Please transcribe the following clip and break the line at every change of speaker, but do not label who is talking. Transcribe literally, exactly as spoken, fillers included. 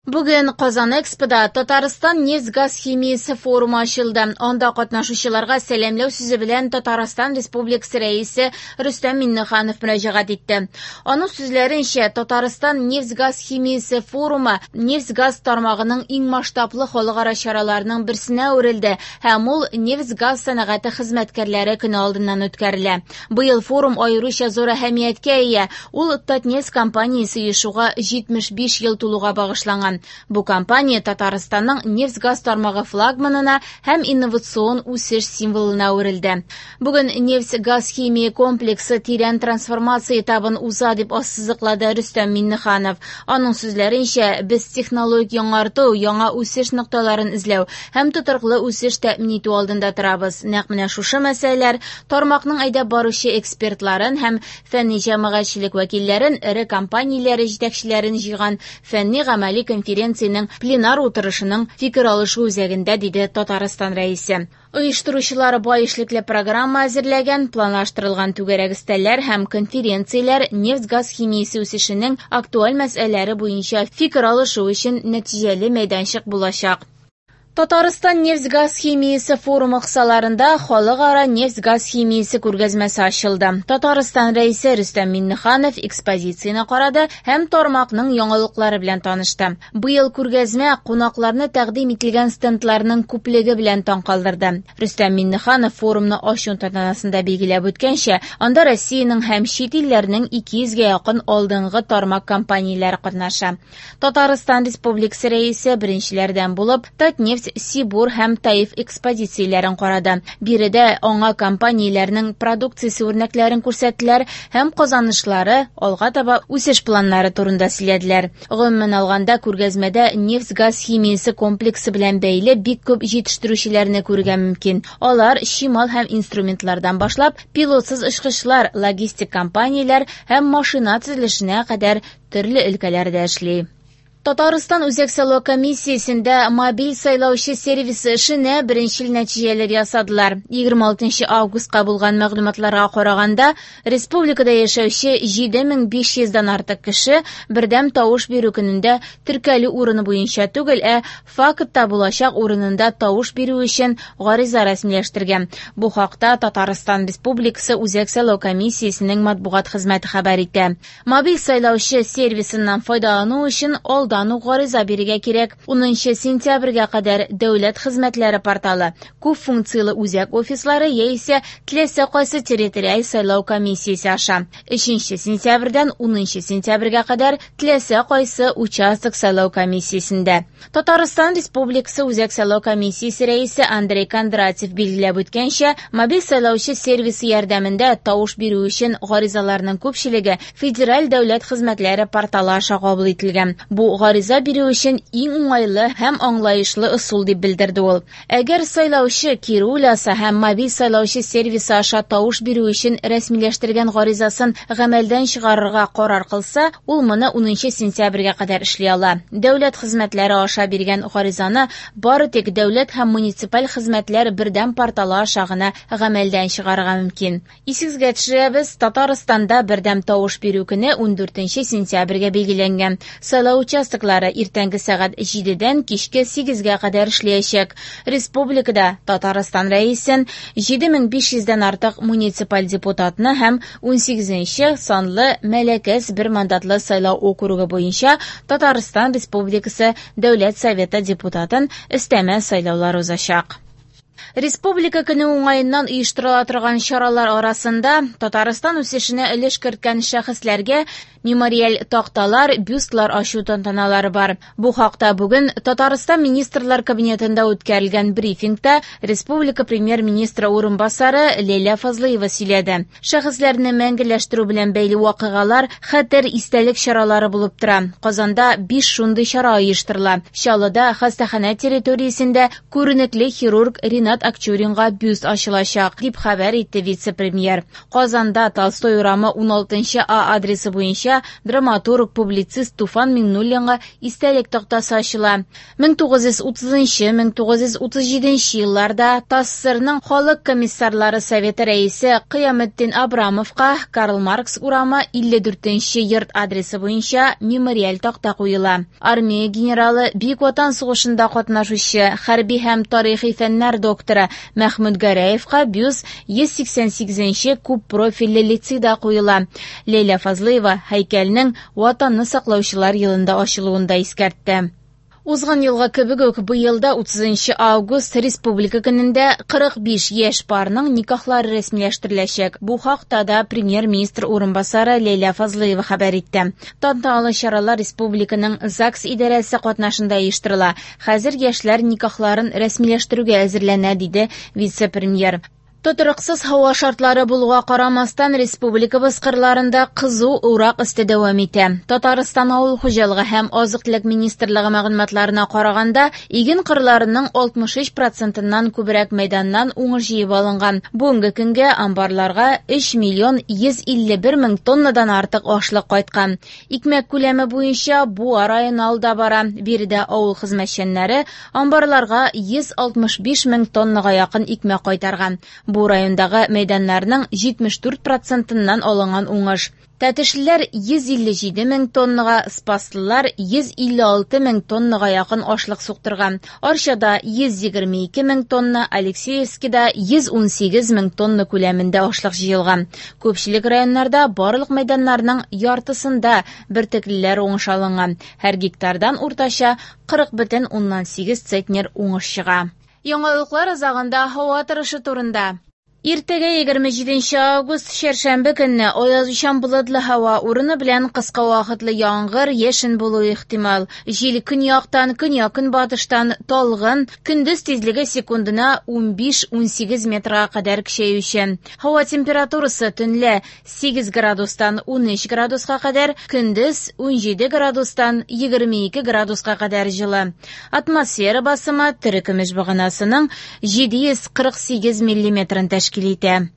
Бүген Казан Экспода Татарстан нефть-газ химиясе форумы ачылды. Анда катнашучыларга сәламләү сүзе белән Татарстан Республикасы Рәисе Рөстәм Миңнеханов мөрәҗәгать итте. Аның сүзләренчә, Татарстан нефть-газ химиясе форумы нефть-газ тармагының иң масштаблы халыкара чараларының берсенә әверелде һәм ул нефть-газ сәнәгате хезмәткәрләре көне алдыннан үткәрелә. Быел форум аеруча зур әһәмияткә ия. Ул Татнефть компаниясе оешуга җитмеш биш ел тулуга багышланган. Бу компания Татарстанның нефть-газ тармагы флагманына һәм инновацион үсеш символына әверелде. Бүген нефть-газ химия комплексы тирән трансформация этабын уза дип ассызыклады Рөстәм Миңнеханов. Аның сүзләренчә, без технологик яңарту, яңа үсеш нокталарын эзләү һәм тотрыклы үсеш тәэмин итү алдында торабыз. Нәкъ менә шушы мәсьәләләр тармакның әйдәп баручы экспертларын һәм фәнни җәмәгатьчелек вәкилләрен, эре компанияләре җитәкчеләрен җыйган фәнни-гамәли конференциянең пленар утырышының фикер алышу үзәгендә, диде Татарстан Рәисе. Оештыручылар бай эшлекле программа әзерләгән, планлаштырылган түгәрәк өстәлләр һәм конференцияләр нефть-газ химиясе үсешенең актуаль мәсьәләләре буенча фикер алышу өчен нәтиҗәле мәйданчык булачак. Татарстан нефть-газ химиясе форумы кысаларында халыкара нефть-газ химиясе күргәзмәсе ачылды. Татарстан Рәисе Рөстәм Миңнеханов экспозицияне карады һәм тармакның яңалыклары белән танышты. Быел күргәзмә кунакларны тәкъдим ителгән стендларның күплеге белән таң калдырды. Рөстәм Миңнеханов форумны ачу тантанасында билгеләп үткәнчә, анда Россиянең һәм чит илләрнең ике йөзгә якын алдынгы тармак компанияләре катнаша. Татарстан Республикасы Рәисе беренчеләрдән булып Татнефть, Сибур һәм Таиф экспозицияләрен карады. Биредә аңа компанияләрнең продукциясе үрнәкләрен күрсәттеләр һәм казанышлары, алга таба үсеш планнары турында сөйләделәр. Гомумән алганда, күргәзмәдә нефть-газ химиясе комплексы белән бәйле бик күп җитештерүчеләрне күрергә мөмкин. Алар чимал һәм инструментлардан башлап, пилотсыз очкычлар, логистик компанияләр һәм машина төзелешенә кадәр төрле өлкәләрдә эшли. Татарстан Үзәк сайлау комиссиясендә мобиль сайлаучы сервисы эшенә беренчел нәтиҗәләр ясадылар. егерме алтынчы августка булган мәгълүматларга караганда, республикада яшәүче җиде мең биш йөздән артык кеше бердәм тавыш бирү көнендә теркәлү урыны буенча түгел, ә фактта булачак урынында тавыш бирү өчен гариза рәсмиләштергән. Бу хакта Татарстан Республикасы Үзәк сайлау комиссиясенең матбугат хезмәте хәбәр итә. Мобиль сайлаучы сервисыннан файдалану өчен алдан ук гариза бирергә кирәк. Унынчы сентябрьгә кадәр дәүләт хезмәтләре порталы, күп функцияле үзәк офислары яисә теләсә кайсы территориаль сайлау комиссиясе аша. Өченче сентябрьдән унынчы сентябрьгә кадәр теләсә кайсы участок сайлау комиссиясендә. Татарстан Республикасы Үзәк сайлау комиссиясе рәисе Андрей Кондратьев билгеләп үткәнчә, мобиль сайлаучы сервисы ярдәмендә тавыш бирү өчен гаризаларның күпчелеге Федераль дәүләт хезмәтләре порталы аша кабул ителгән. Бу гариза бирү өчен иң уңайлы һәм аңлаешлы ысул дип белдерде ул. Әгәр сайлаучы кире уйласа һәм мобиль сайлаучы сервисы аша тавыш бирү өчен рәсмиләштергән гаризасын гамәлдән чыгарырга карар кылса, ул моны унынчы сентябрьгә кадәр эшли ала. Дәүләт хезмәтләре аша биргән гаризаны бары тик дәүләт һәм муниципаль хезмәтләр бердәм порталы аша гына гамәлдән чыгарырга мөмкин. Исегезгә төшерәбез, Татарстанда бердәм тавыш бирү көне ундүртенче сентябрьгә билгеләнгән. Сайлау участоклары иртәнге сәгать җидедән кичке сигезгә кадәр эшләячәк. Республикада Татарстан Рәисен җиде мең биш йөздән артык муниципаль депутатны һәм унсигезенче санлы Мәләкәс бер мандатлы сайлау округы буенча Татарстан Республикасы Дәүләт Советы депутатын өстәмә сайлаулар узачак. Республика көне уңаеннан оештырыла торган чаралар арасында Татарстан үсешенә өлеш керткән шәхесләргә мемориаль такталар, бюстлар ачу тантаналары бар. Бу хакта бүген Татарстан Министрлар Кабинетында үткәрелгән брифингта Республика Премьер-министры урынбасары Ләйлә Фазлыева сөйләде. Шәхесләрне мәңгеләштерү белән бәйле вакыйгалар хәтер истәлек чаралары булып тора. Казанда биш шундый чара оештырыла. Чаллыда хастаханә территориясендә күренекле хирург Ринат Акчуринга бюст ачылачак, дип хәбәр итте вице-премьер. Казанда Толстой урамы уналтынчы А адресы буенча буенча драматург, публицист Туфан Миңнуллинга истәлек тактасы ачыла. мең тугыз йөз утызынчы - мең тугыз йөз утыз җиденче елларда ТАССРның Халык комиссарлары советы рәисе Кыяметдин Абрамовка Карл Маркс урамы илле дүртенче йорт адресы буенча мемориаль такта куела. Армия генералы, Бөек Ватан сугышында катнашучы, хәрби һәм тарихи фәннәр докторы Мәхмүт Гәрәевка бюст йөз сиксән сигезенче күп профильле лицейда куела. Ләйлә Фазлыева һәйкәлнең Ватанны саклаучылар елында ачылуын да искәртте. Узган елга кебек үк быел да утызынчы август Республика көнендә кырык биш яшь парның никахлары рәсмиләштереләчәк. Бу хакта да премьер-министр урынбасары Ләйлә Фазлыева хәбәр итте. Тантаналы чаралар республиканың ЗАГС идарәсе катнашында оештырыла. Хәзер яшьләр никахларын рәсмиләштерүгә әзерләнә, диде вице-премьер. Тотрыксыз һава шартлары булуга карамастан, республикабыз кырларында кызу урак өсте дәвам итә. Татарстан авыл хуҗалыгы һәм азык-төлек министрлыгы мәгълүматларына караганда, иген кырларының алтмыш өч процентыннан күбрәк мәйданнан уңыш җыеп алынган. Бүгенге көнгә амбарларга өч миллион йөз илле бер мең тоннадан артык ашлык кайткан. Икмәк күләме буенча Буа районы алда бара. Биредә авыл хезмәтчәннәре амбарларга йөз алтмыш биш мең тоннага якын икмәк кайтарган. Бу райондагы мәйданнарның җитмеш дүрт процентыннан алынган уңыш. Тәтешлеләр йөз илле җиде мең тоннага, Спаслылар йөз илле алты мең тоннага якын ашлык суктырган. Арчада йөз егерме ике мең тонна, Алексеевскида йөз ун сигез мең тонна күләмендә ашлык җыелган. Күпчелек районнарда барлык мәйданнарның яртысында бөртеклеләр уңыш алынган. Һәр гектардан уртача кырык бөтен уннан сигез центнер уңыш чыга. Яңалыклар азагында һава торышы турында. Иртәгә егерме җиденче август чәршәмбе көнне аязучан болытлы һава, урыны белән кыска вакытлы яңгыр, яшен булуы ихтимал. Җил көньяктан, көньяк-көнбатыштан талгын, көндез тизлеге секундына унбиш-унсигез метрга кадәр көчәюче. Һава температурасы төнлә сигез градустан унөч градуска кадәр, көндез унҗиде градустан егерме ике градуска кадәр җылы. Атмосфера басымы терекөмеш баганасының җиде йөз кырык сигез миллиметрын тәшкил итә.